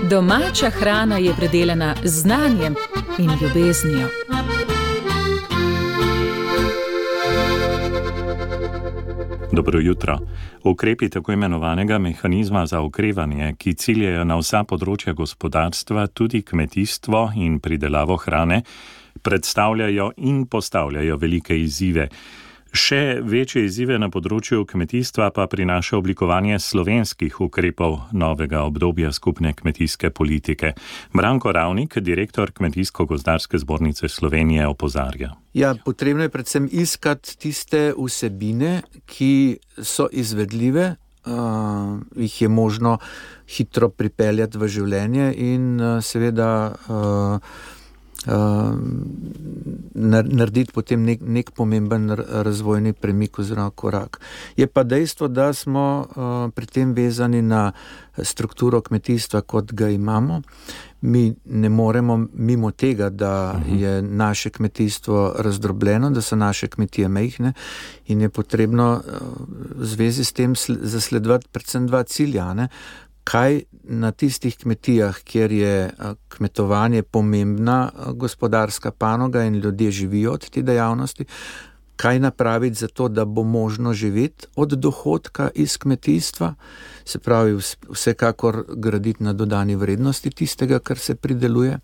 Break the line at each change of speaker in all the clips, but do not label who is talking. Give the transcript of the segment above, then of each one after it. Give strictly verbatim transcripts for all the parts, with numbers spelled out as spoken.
Domača hrana je predelana z znanjem in ljubeznijo.
Dobro jutro. Ukrepi tako imenovanega mehanizma za okrevanje, ki ciljajo na vsa področja gospodarstva, tudi kmetijstvo in pridelavo hrane, predstavljajo in postavljajo velike izzive. Še večje izzive na področju kmetijstva pa prinaša oblikovanje slovenskih ukrepov novega obdobja skupne kmetijske politike. Branko Ravnik, direktor Kmetijsko-gozdarske zbornice Slovenije, opozarja.
Ja, potrebno je predvsem iskati tiste vsebine, ki so izvedljive, uh, jih je možno hitro pripeljati v življenje in uh, seveda uh, Uh, narediti potem nek, nek pomemben razvojni premik oziroma korak. Je pa dejstvo, da smo uh, pri tem vezani na strukturo kmetijstva, kot ga imamo. Mi ne moremo mimo tega, da je naše kmetijstvo razdrobljeno, da so naše kmetije majhne in je potrebno uh, v zvezi s tem zasledovati predvsem dva cilja, ne? Kaj na tistih kmetijah, kjer je kmetovanje pomembna gospodarska panoga in ljudje živijo od te dejavnosti, kaj napraviti za to, da bo možno živeti od dohodka iz kmetijstva, se pravi vsekakor graditi na dodani vrednosti tistega, kar se prideluje.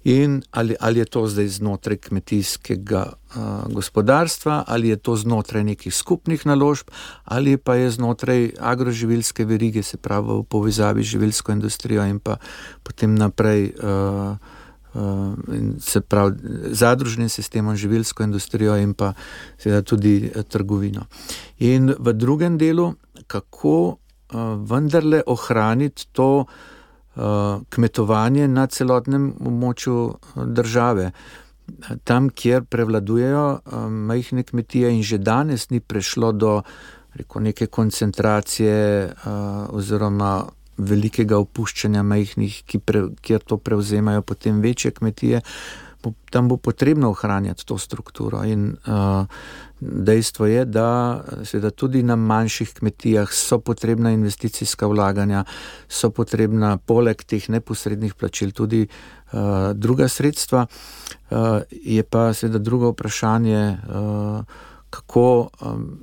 In ali, ali je to zdaj znotraj kmetijskega uh, gospodarstva, ali je to znotraj nekih skupnih naložb, ali pa je znotraj agroživilske verige, se pravi v povezavi z živilsko industrijo in pa potem naprej uh, uh, se pravi zadružnim sistemom, živilsko industrijo in pa seveda tudi uh, trgovino. In v drugem delu, kako uh, vendarle ohraniti to kmetovanje na celotnem območju države. Tam, kjer prevladujejo majhne kmetije in že danes ni prišlo do rekel, neke koncentracije oziroma velikega opuščanja majhnih, ki pre, kjer to prevzemajo potem večje kmetije, tam bo potrebno ohranjati to strukturo in uh, dejstvo je, da seveda tudi na manjših kmetijah so potrebna investicijska vlaganja, so potrebna poleg teh neposrednih plačil tudi uh, druga sredstva. Uh, je pa seveda drugo vprašanje, uh, kako, um,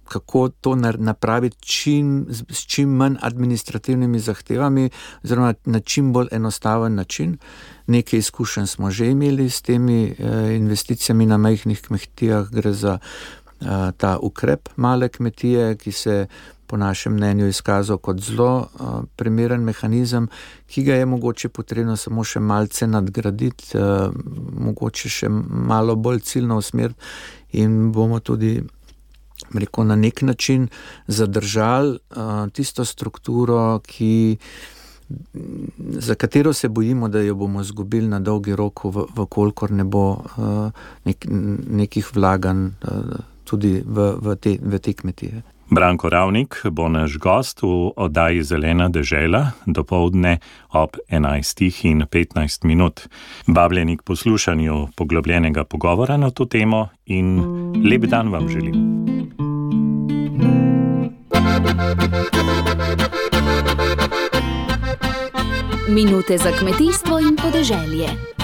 kako to napraviti čim, s čim manj administrativnimi zahtevami oziroma na čim bolj enostaven način. Nekaj izkušenj smo že imeli s temi eh, investicijami na majhnih kmetijah, gre za eh, ta ukrep male kmetije, ki se po našem mnenju izkazal kot zelo eh, primeren mehanizem, ki ga je mogoče potrebno samo še malce nadgraditi, eh, mogoče še malo bolj ciljno usmeriti in bomo tudi rekel, na nek način zadržali uh, tisto strukturo, ki, za katero se bojimo, da jo bomo izgubili na dolgi rok, v, v kolikor ne bo uh, nek, nekih vlaganj uh, tudi v, v, te, v te kmetije.
Branko Ravnik bo naš gost v oddaji Zelena dežela dopoldne ob enajstih in petnajst minut. Vabljeni k poslušanju poglobljenega pogovora na to temo in lep dan vam želim.
Minute za kmetijstvo in podeželje.